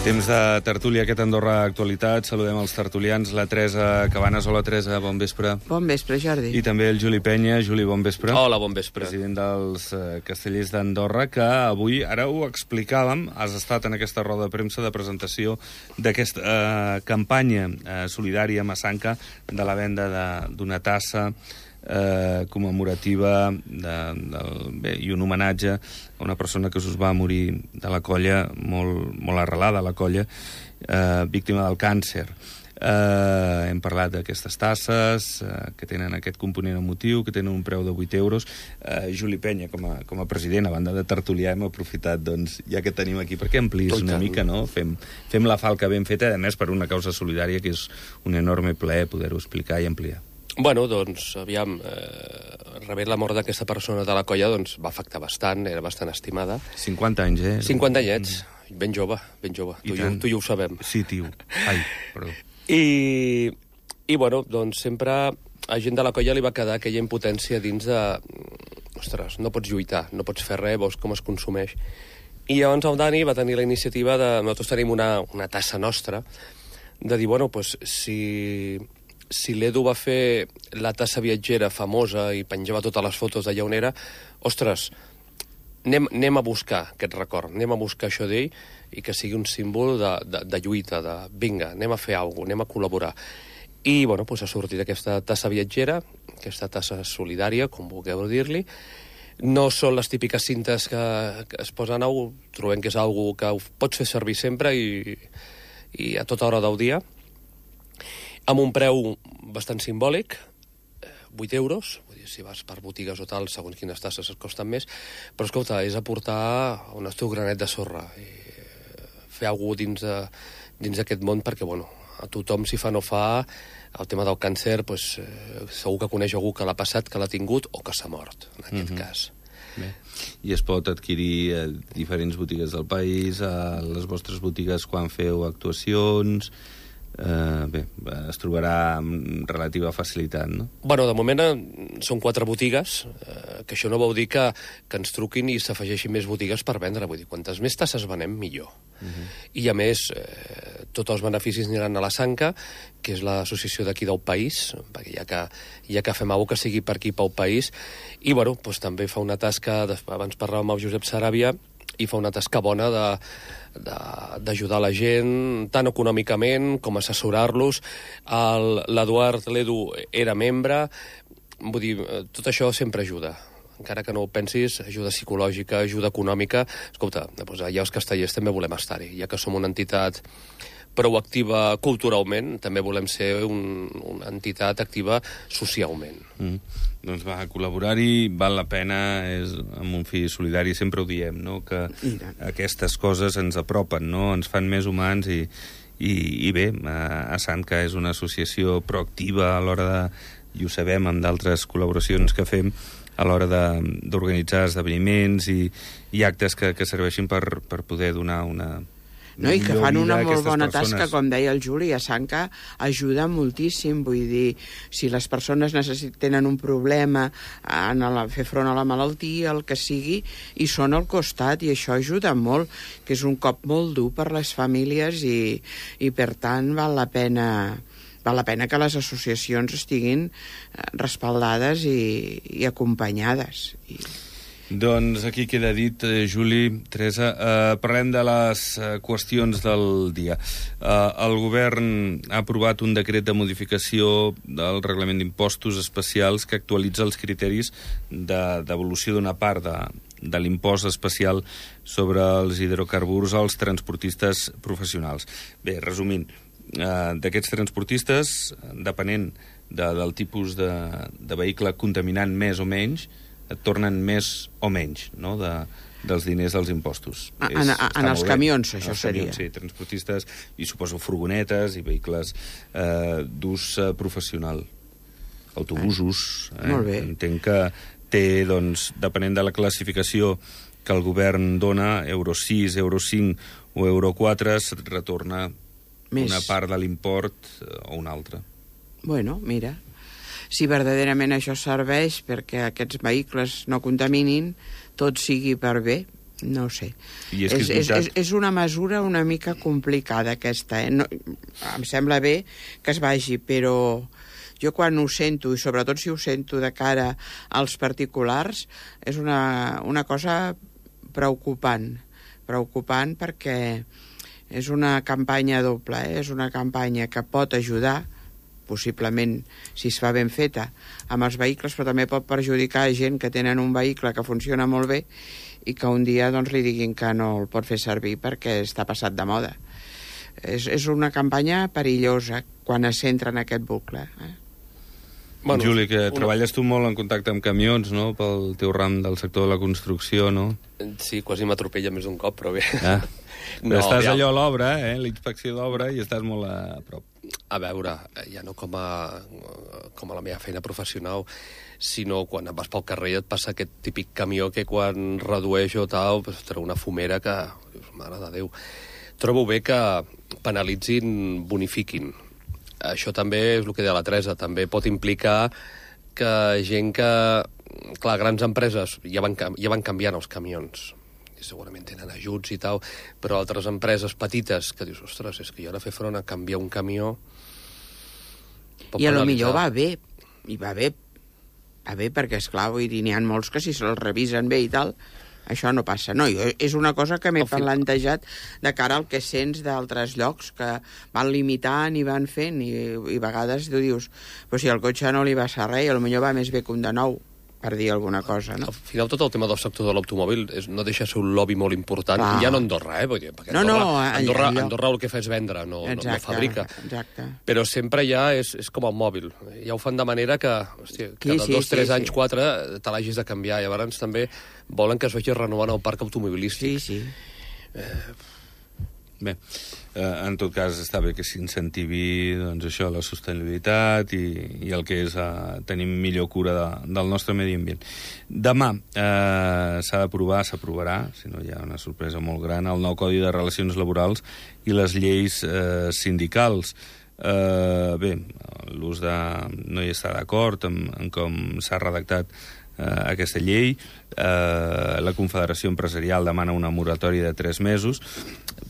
Temps de tertúlia, aquest Andorra Actualitat. Saludem els tertulians, la Teresa Cabanes. Hola, Teresa, bon vespre. Bon vespre, Jordi. I també el Juli Penya. Juli, bon vespre. Hola, bon vespre. President dels Castellers d'Andorra, que avui, ara ho explicàvem, has estat en aquesta roda de premsa de presentació d'aquesta campanya solidària a Massanca de la venda d'una tassa commemorativa i un homenatge a una persona que us va morir de la colla, molt arrelada a la colla, víctima del càncer. Hem parlat d'aquestes tasses que tenen aquest component emotiu, que tenen un preu de 8 euros. Juli Penya, com a president, a banda de tertuliar, hem aprofitat, doncs, ja que tenim aquí, perquè ampliïs una mica, no? Fem la falca ben feta, a més, per una causa solidària, que és un enorme plaer poder-ho explicar i ampliar. Bueno, doncs, aviam, rebent la mort d'aquesta persona de la colla, doncs, va afectar bastant, era bastant estimada. 50 anys, 50 anyets, ben jove, ben jove. Tu i jo ho sabem. Sí, tio. Ai, perdó. I bueno, doncs, sempre a gent de la colla li va quedar aquella impotència dins de... Ostres, no pots lluitar, no pots fer res, veus com es consumeix. I llavors el Dani va tenir la iniciativa de... Nosaltres tenim una tassa nostra, de dir, bueno, doncs, si l'Edu va fer la tassa viatgera famosa i penjava totes les fotos d'allà on era, ostres, anem a buscar aquest record, anem a buscar això d'ell i que sigui un símbol de lluita, de vinga, anem a fer alguna cosa, anem a col·laborar. I, bueno, doncs ha sortit aquesta tassa viatgera, aquesta tassa solidària, com vulgueu dir-li. No són les típiques cintes que es posen a trobem que és una cosa que pots fer servir sempre i a tota hora del dia, amb un preu bastant simbòlic, 8 euros, vull dir, si vas per botigues o tal, segons quines tasses es costen més, però escolta, és aportar un teu granet de sorra i fer alguna cosa dins d'aquest món, perquè, bueno, a tothom, si fa no fa, el tema del càncer, doncs, segur que coneix algú que l'ha passat, que l'ha tingut o que s'ha mort, en aquest cas. Bé. I es pot adquirir a diferents botigues del país, a les vostres botigues quan feu actuacions... Bé, es trobarà amb relativa facilitat, no? Bueno, de moment són 4 botigues, que això no vol dir que ens truquin i s'afegeixin més botigues per vendre. Vull dir, quantes més tasses venem, millor. I, a més, tots els beneficis aniran a la Sanca, que és l'associació d'aquí del país, perquè ja que fem alguna cosa que sigui per aquí, pel país, i, bueno, doncs també fa una tasca, abans parlàvem amb el Josep Saràbia, i fa una tasca bona d'ajudar la gent, tant econòmicament com assessorar-los. L'Eduard, l'Edu, era membre. Vull dir, tot això sempre ajuda. Encara que no ho pensis, ajuda psicològica, ajuda econòmica. Escolta, doncs allà els castellers també volem estar-hi. Ja que som una entitat prou activa culturalment, també volem ser una entitat activa socialment. Doncs va, col·laborar-hi val la pena, és amb un fi solidari, sempre ho diem, no? Que aquestes coses ens apropen, no? Ens fan més humans i bé, a Sanca és una associació proactiva a l'hora de, i ho sabem amb d'altres col·laboracions que fem, a l'hora d'organitzar esdeveniments i actes que serveixin per poder donar una... No, i que fan una molt bona tasca, com deia el Juli, a Sanca ajuda moltíssim, vull dir, si les persones tenen un problema en fer front a la malaltia, el que sigui, i són al costat, i això ajuda molt, que és un cop molt dur per les famílies i per tant val la pena que les associacions estiguin respaldades i acompanyades. Doncs aquí queda dit, Juli, Teresa. Parlem de les qüestions del dia. El govern ha aprovat un decret de modificació del reglament d'impostos especials que actualitza els criteris de devolució d'una part de l'impost especial sobre els hidrocarburs als transportistes professionals. Bé, resumint, d'aquests transportistes, depenent del tipus de vehicle contaminant més o menys, et tornen més o menys, no?, dels diners dels impostos. En els camions, això seria. Sí, transportistes, i suposo furgonetes i vehicles d'ús professional. Autobusos. Molt bé. Entenc que té, doncs, depenent de la classificació que el govern dona, Euro 6, Euro 5 o Euro 4, se't retorna una part de l'import o una altra. Bueno, mira... Si verdaderament això serveix perquè aquests vehicles no contaminin, tot sigui per bé, no ho sé. És una mesura una mica complicada, aquesta. No, em sembla bé que es vagi, però jo quan ho sento, i sobretot si ho sento de cara als particulars, és una cosa preocupant perquè és una campanya doble, és una campanya que pot ajudar, possiblement, si es fa ben feta, amb els vehicles, però també pot perjudicar gent que tenen un vehicle que funciona molt bé i que un dia doncs, li diguin que no el pot fer servir perquè està passat de moda. És una campanya perillosa quan es centra en aquest bucle. Bueno, Juli, que treballes tu molt en contacte amb camions, no?, pel teu ram del sector de la construcció, no? Sí, quasi m'atropella més d'un cop, però bé. Però estàs allò a l'obra, l'inspecció d'obra, i estàs molt a prop. A veure, ja no com a la meva feina professional, sinó quan vas pel carrer i et passa aquest típic camió que quan redueix o tal, pues, treu una fumera que... Mare de Déu. Trobo bé que penalitzin, bonifiquin. Això també és el que deia la Teresa, també pot implicar que gent que... Clar, grans empreses ja van canviant els camions, i segurament tenen ajuts i tal, però altres empreses petites que dius, ostres, és que jo ara fer front a canviar un camió... I a lo millor va bé, perquè, esclar, vull dir, n'hi ha molts que si se'ls revisen bé i tal... Això no passa. No, és una cosa que m'he plantejat de cara al que sents d'altres llocs que van limitant i van fent i a vegades tu dius, però si al cotxe no li va ser res, potser va més bé que un de nou, per dir alguna cosa, no? Al final tot el tema del sector de l'automòbil no deixa ser un lobby molt important, ja no a Andorra, perquè Andorra el que fa és vendre, no fabrica. Exacte. Però sempre ja és com el mòbil. Ja ho fan de manera que, hòstia, cada 2-3 anys, 4, te l'hagis de canviar. I llavors també volen que es vagi renovant el parc automobilístic. Sí. Bé, en tot cas està bé que s'incentivi doncs, això, la sostenibilitat i el que és tenir millor cura del nostre medi ambient. Demà s'ha d'aprovar, s'aprovarà, si no hi ha una sorpresa molt gran, el nou Codi de Relacions Laborals i les lleis sindicals. Bé, l'ús de... no hi està d'acord en com s'ha redactat aquesta llei. La Confederació Empresarial demana una moratòria de 3 mesos,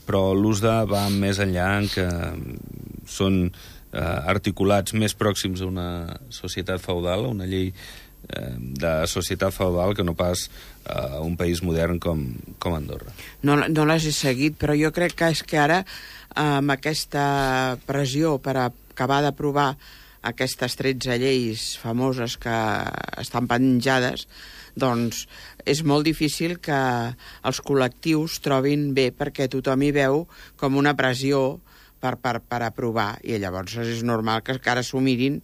però l'USDA va més enllà en que són articulats més pròxims a una societat feudal, a una llei de societat feudal, que no pas a un país modern com Andorra. No les he seguit, però jo crec que és que ara, amb aquesta pressió per acabar d'aprovar aquestes 13 lleis famoses que estan penjades, doncs és molt difícil que els col·lectius trobin bé, perquè tothom hi veu com una pressió per aprovar, i llavors és normal que ara s'ho mirin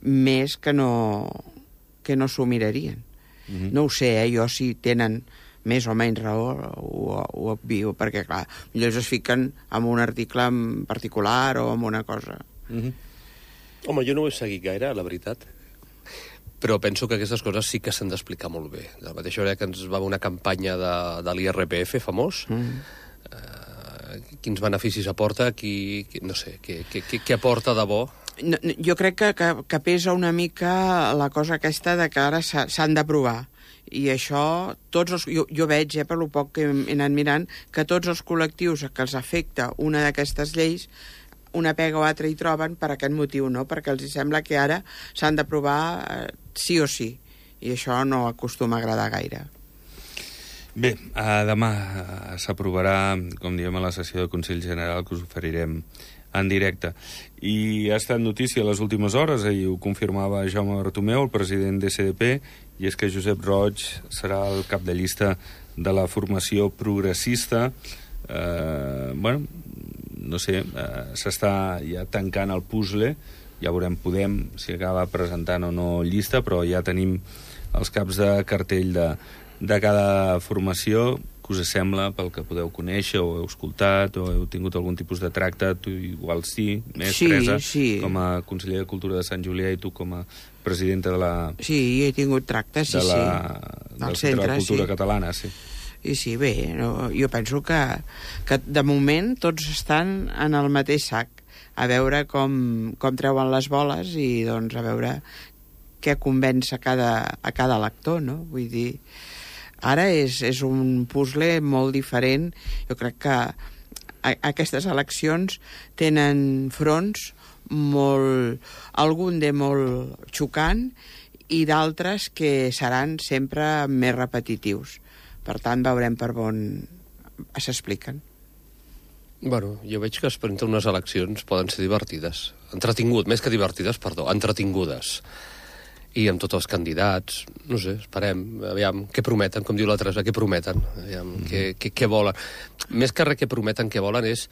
més que no s'ho mirarien. No ho sé, jo si tenen més o menys raó ho obvio, perquè clar, millor es fiquen en un article en particular o en una cosa. Home, jo no ho he seguit gaire, la veritat, però penso que aquestes coses sí que s'han d'explicar molt bé. De la mateixa manera que ens va haver una campanya de l'IRPF famós, quins beneficis aporta, no sé, què aporta de bo? Jo crec que pesa una mica la cosa aquesta de que ara s'han d'aprovar. I això, jo veig, per lo poc que he anat mirant, que tots els col·lectius que els afecta una d'aquestes lleis una pega o altra hi troben per aquest motiu, no? Perquè els sembla que ara s'han d'aprovar sí o sí, i això no acostuma a agradar gaire. Bé, demà s'aprovarà, com diem, a la sessió de Consell General, que us oferirem en directe. I ha estat notícia a les últimes hores, ahir ho confirmava Jaume Bartomeu, el president d'SDP, i és que Josep Roig serà el cap de llista de la formació progressista. Bueno, no sé, s'està ja tancant el puzzle, ja veurem si acaba presentant o no llista, però ja tenim els caps de cartell de cada formació. Què us sembla, pel que podeu conèixer o heu escoltat o heu tingut algun tipus de tracte? Tu igual Teresa, com a conseller de Cultura de Sant Julià, i tu com a presidenta de la... Sí, he tingut tracte, del Centre de Cultura Catalana, sí. I sí, bé, jo penso que de moment tots estan en el mateix sac, a veure com treuen les boles i doncs a veure què convenç a cada lector, no? Vull dir, Ara és un puzzle molt diferent. Jo crec que aquestes eleccions tenen fronts algun de molt xocant i d'altres que seran sempre més repetitius. Per tant, veurem per on s'expliquen. Bueno, jo veig que entre unes eleccions poden ser divertides. Més que divertides, entretingudes. I amb tots els candidats, no sé, esperem, aviam, què prometen, com diu la Teresa, què prometen, aviam, què volen. Més que res què prometen, què volen és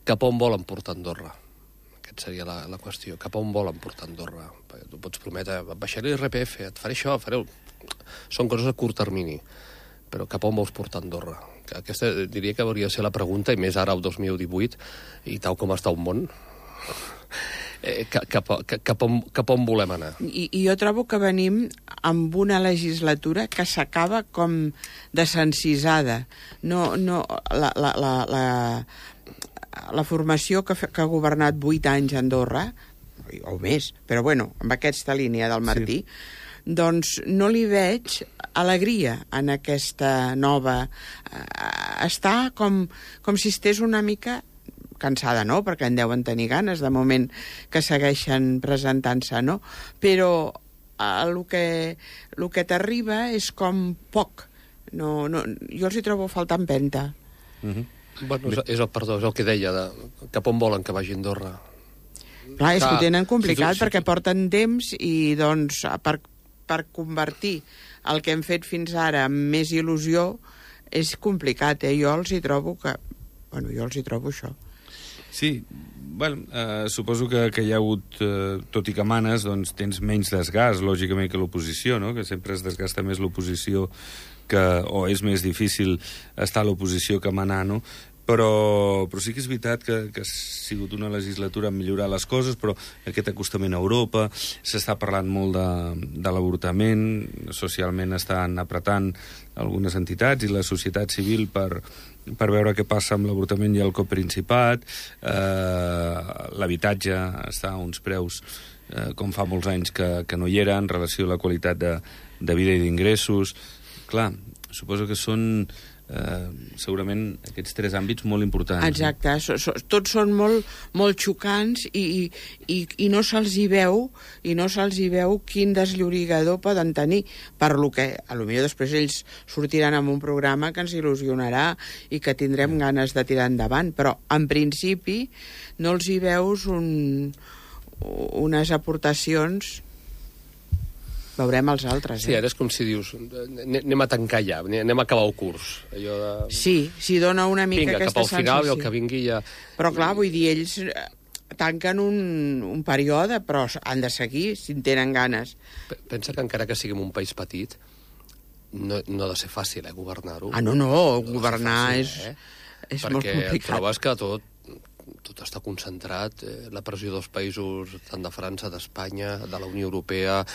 cap on volen portar Andorra. Aquesta seria la qüestió, cap on volen portar Andorra. Perquè tu pots prometre, baixaré l'IRPF, et faré això, Són coses a curt termini, però cap on vols portar Andorra? Aquesta diria que hauria de ser la pregunta, i més ara, el 2018, i tal com està el món, cap on volem anar. I jo trobo que venim amb una legislatura que s'acaba com desencisada. La formació que ha governat 8 anys a Andorra, o més, però bueno, amb aquesta línia del Martí, doncs no li veig alegria en aquesta nova... Està com si estigués una mica cansada, no?, perquè en deuen tenir ganes de moment que segueixen presentant-se, no? Però el que t'arriba és com poc. Jo els hi trobo faltar empenta. Bueno, és el que deia, cap on volen que vagi Andorra. Clar, és que ho tenen complicat perquè porten temps i, doncs, per convertir el que hem fet fins ara amb més il·lusió és complicat, Jo els hi trobo això. Sí, bueno, suposo que hi ha hagut, tot i que manes, doncs tens menys desgast, lògicament, que l'oposició, no?, que sempre es desgasta més l'oposició, o és més difícil estar a l'oposició que manar, no?, però sí que és veritat que ha sigut una legislatura en millorar les coses, però aquest acostament a Europa, s'està parlant molt de l'avortament, socialment estan apretant algunes entitats i la societat civil per veure què passa amb l'avortament i el coprincipat. L'habitatge està a uns preus com fa molts anys que no hi era en relació a la qualitat de vida i d'ingressos. Clar, suposo que són segurament aquests 3 àmbits molt importants. Exacte, tots són molt xocants i no se'ls hi veu quin desllorigador poden tenir, per lo que potser després ells sortiran amb un programa que ens il·lusionarà i que tindrem ganes de tirar endavant, però en principi no els hi veus unes aportacions. Veurem els altres. Sí, ara és com si dius, anem a tancar ja, anem a acabar el curs. Sí, dona una mica aquesta sensació. Vinga, cap al final i el que vingui ja... Però clar, vull dir, ells tanquen un període, però han de seguir si en tenen ganes. Pensa que encara que siguem un país petit, no ha de ser fàcil, governar-ho. No, governar és molt complicat. Perquè trobes que tot està concentrat, la pressió dels països, tant de França, d'Espanya, de la Unió Europea...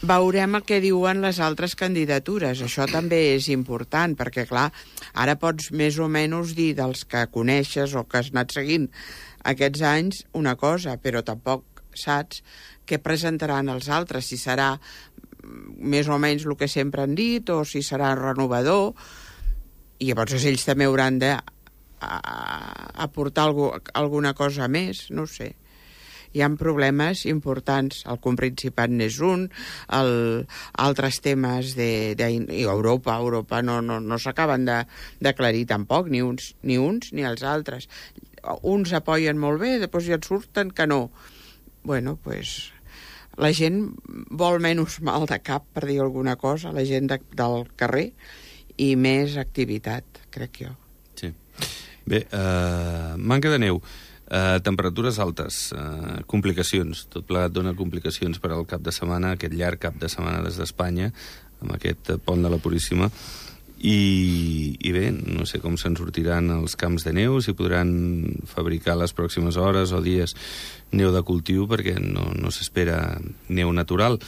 Veurem el que diuen les altres candidatures. Això també és important, perquè, clar, ara pots més o menys dir dels que coneixes o que has anat seguint aquests anys una cosa, però tampoc saps què presentaran els altres, si serà més o menys el que sempre han dit o si serà renovador, i llavors ells també hauran d'aportar alguna cosa més, no ho sé. Hi ha problemes importants, el coprincipat n'és un, altres temes i Europa no s'acaben d'aclarir tampoc, ni uns ni els altres. Uns apoyen molt bé, després ja et surten que no. Bueno, pues, la gent vol menys mal de cap, per dir alguna cosa, la gent del carrer, i més activitat, crec jo. Sí. Bé, manca de neu. Temperatures altes, complicacions, tot plegat dona complicacions per al cap de setmana, aquest llarg cap de setmana des d'Espanya, amb aquest pont de la Puríssima, i bé, no sé com se'n sortiran els camps de neu, si podran fabricar les pròximes hores o dies neu de cultiu, perquè no s'espera neu natural.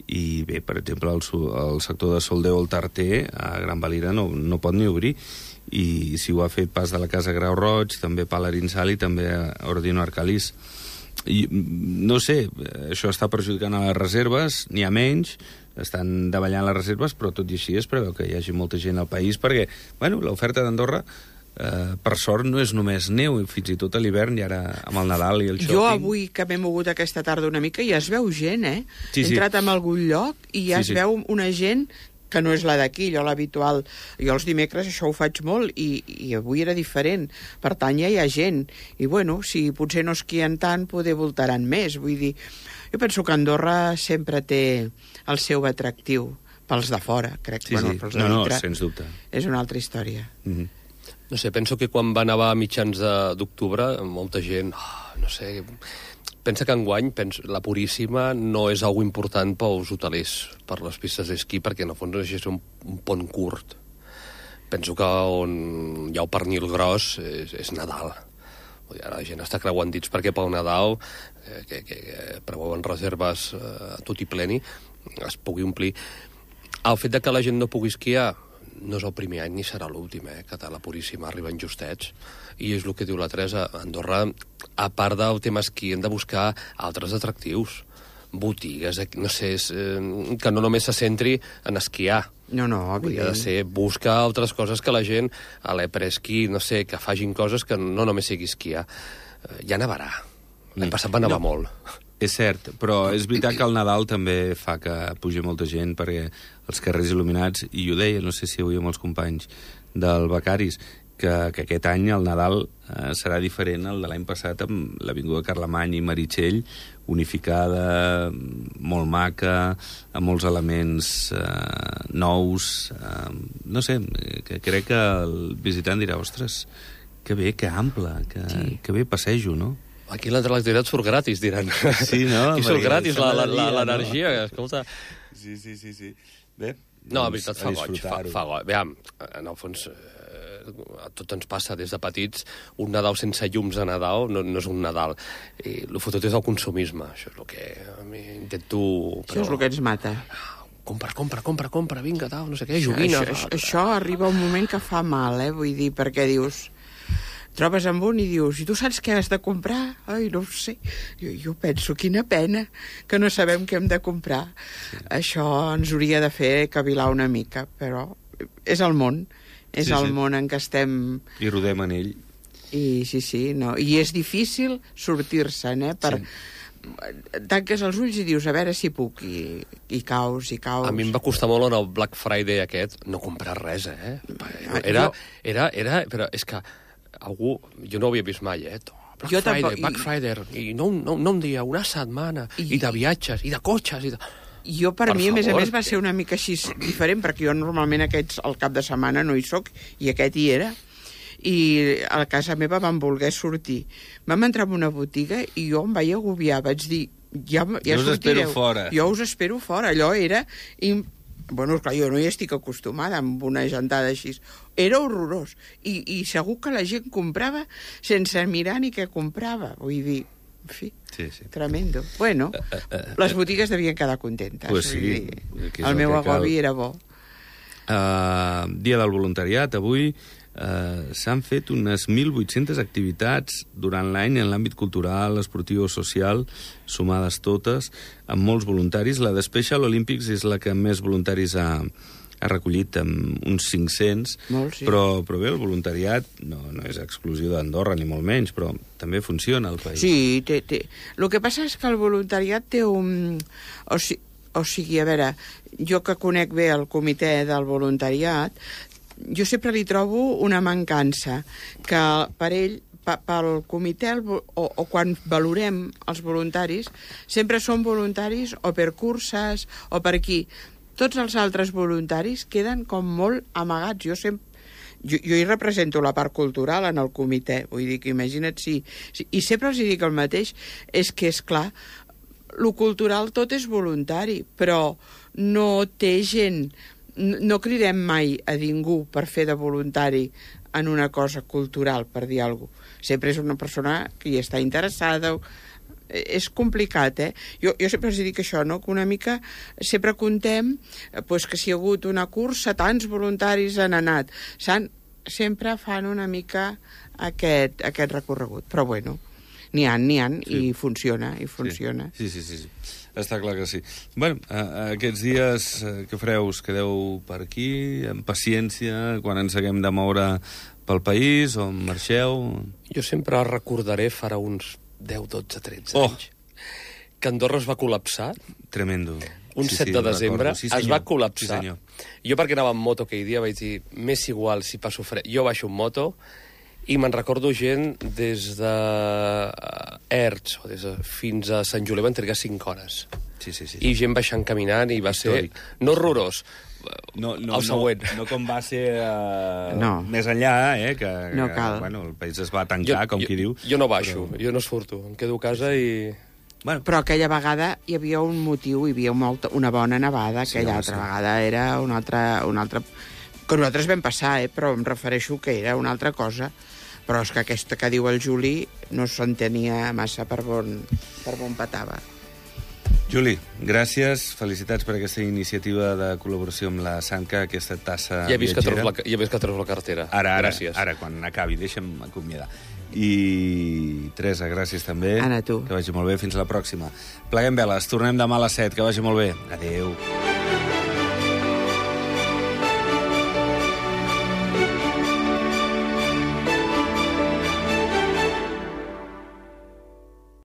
I bé, per exemple, el sector de Soldeu el Tarter, a Gran Valira, no pot ni obrir, i si ho ha fet pas de la Casa Grau Roig, també Pal Arinsal i també Ordino Arcalís. no sé, això està perjudicant a les reserves, n'hi ha menys, estan davallant les reserves, però tot i així es preveu que hi hagi molta gent al país, perquè, bueno, l'oferta d'Andorra, per sort, no és només neu, fins i tot a l'hivern, i ara amb el Nadal i el shopping... Jo avui, que m'he mogut aquesta tarda una mica, ja es veu gent, He entrat en algun lloc i ja es veu una gent que no és la d'aquí, allò l'habitual. Jo els dimecres això ho faig molt i avui era diferent. Per tant, ja hi ha gent. I, bueno, si potser no esquien tant, poder voltaran més. Vull dir, jo penso que Andorra sempre té el seu atractiu pels de fora, crec. Sí, bueno, sí. Pels de dintre, sens dubte. És una altra història. No sé, penso que quan va nevar a mitjans d'octubre, molta gent, no sé... Pensa que enguany la Puríssima no és algo important pels hotelers, per les pistes d'esquí, perquè en el fons és un pont curt. Penso que on hi ha el pernil gros és Nadal. Ara la gent està creuant dits perquè pel Nadal, que preveuen reserves a tot i pleni, es pugui omplir. El fet de que la gent no pugui esquiar no és el primer any ni serà l'últim, que a la Puríssima arriben justets. I és el que diu la Teresa, Andorra, a part del tema esquí, hem de buscar altres atractius, botigues, no sé, que no només se centri en esquiar. No, hauria de ser buscar altres coses que la gent, a l'epresquí, no sé, que facin coses que no només sigui esquiar. Ja nevarà. L'any passat va nevar molt. És cert, però és veritat que el Nadal també fa que pugi molta gent, perquè els carrers il·luminats, i ho deia, no sé si avui amb els companys del Becaris, que aquest any el Nadal serà diferent al de l'any passat amb l'Avinguda Carlemany i Meritxell, unificada, molt maca, amb molts elements nous. No sé, que crec que el visitant dirà, ostres, que bé, que ample, que bé passejo, no? Aquí l'electricitat surt gratis, diran. Sí, no? Aquí surt gratis l'energia, escolta. Sí. Bé, no, la veritat fa goig, fa goig. Veam, en el fons, a tot ens passa des de petits, un Nadal sense llums a Nadal no és un Nadal. I el fotut és el consumisme, això és el que a mi intento... Això és el que ens mata. Compra, vinga, tal, no sé què, joguina... Això arriba un moment que fa mal, vull dir, perquè dius... Trobes amb un i dius, i tu saps què has de comprar? Ai, no ho sé. Jo penso, quina pena que no sabem què hem de comprar. Sí. Això ens hauria de fer cavilar una mica, però és el món. És el món en què estem... I rodem en ell. Sí, no. I és difícil sortir-se'n, tanques els ulls i dius, a veure si puc, i caus. A mi em va costar molt en el Black Friday aquest no comprar res, Però és que algú... Jo no ho havia vist mai, Black Friday, i no un dia, una setmana, i de viatges, i de cotxes, i de... Jo, per mi, a més, va ser una mica així diferent, perquè jo normalment aquests, al cap de setmana, no hi soc, i aquest hi era. I a casa meva vam voler sortir. Vam entrar en una botiga i jo em vaig agobiar. Vaig dir, ja sortireu. Jo us espero fora. Allò era... Bueno, clar, jo no hi estic acostumada amb una gentada així. Era horrorós. I segur que la gent comprava sense mirar ni què comprava. Vull dir, en fi, tremendo. Bueno, les botigues devien quedar contentes. Pues sí. El meu agobi era bo. Dia del voluntariat, avui s'han fet unes 1.800 activitats durant l'any en l'àmbit cultural, esportiu o social, sumades totes, amb molts voluntaris. La de Special Olympics és la que més voluntaris ha recollit, amb uns 500, però bé, el voluntariat no és exclusiu d'Andorra, ni molt menys, però també funciona al país. Sí, té. El que passa és que el voluntariat té un... O sigui, a veure, jo que conec bé el comitè del voluntariat, jo sempre li trobo una mancança, que per ell, pel comitè, o quan valorem els voluntaris, sempre són voluntaris o per curses o per aquí. Tots els altres voluntaris queden com molt amagats. Jo hi represento la part cultural en el comitè, vull dir que imagina't si... I sempre els dic el mateix, és que, és clar, lo cultural tot és voluntari, però no té gent... No cridem mai a ningú per fer de voluntari en una cosa cultural, per dir alguna cosa. Sempre és una persona que hi està interessada. És complicat, Jo sempre els dic això, no? Que una mica sempre contem que si hi ha hagut una cursa, tants voluntaris han anat. Sempre fan una mica aquest recorregut. Però bueno, N'hi ha, i funciona. Sí. Està clar que sí. Bueno, aquests dies que fareu? Us quedeu per aquí, amb paciència, quan ens haguem de moure pel país, o marxeu? Jo sempre recordaré farà uns 10, 12, 13 anys que Andorra es va col·lapsar. Tremendo. Un 7 de desembre es va col·lapsar. Sí, jo, perquè anava en moto aquell dia, vaig dir, m'és igual si passo fred. Jo baixo en moto i me'n recordo gent des de Erts fins a Sant Julià van trigar 5 hores. Sí. I gent baixant caminant i va ser... No horrorós, el següent. No com va ser més enllà, que bueno, el país es va tancar, com qui diu. Jo no baixo, jo no surto, em quedo a casa i... Bueno. Però aquella vegada hi havia un motiu, hi havia una bona nevada, aquella altra vegada era una altra... Que nosaltres vam passar, però em refereixo que era una altra cosa. Però és que aquesta que diu el Juli no s'entenia massa per on petava. Juli, gràcies, felicitats per aquesta iniciativa de col·laboració amb la Sanca, aquesta tassa viatgera. Ja he vist que treus la cartera. Gràcies. Ara, quan acabi, deixa'm acomiadar. I Teresa, gràcies també. Anna, tu. Que vagi molt bé, fins la pròxima. Pleguem veles, tornem demà a les 7, que vagi molt bé. Adéu.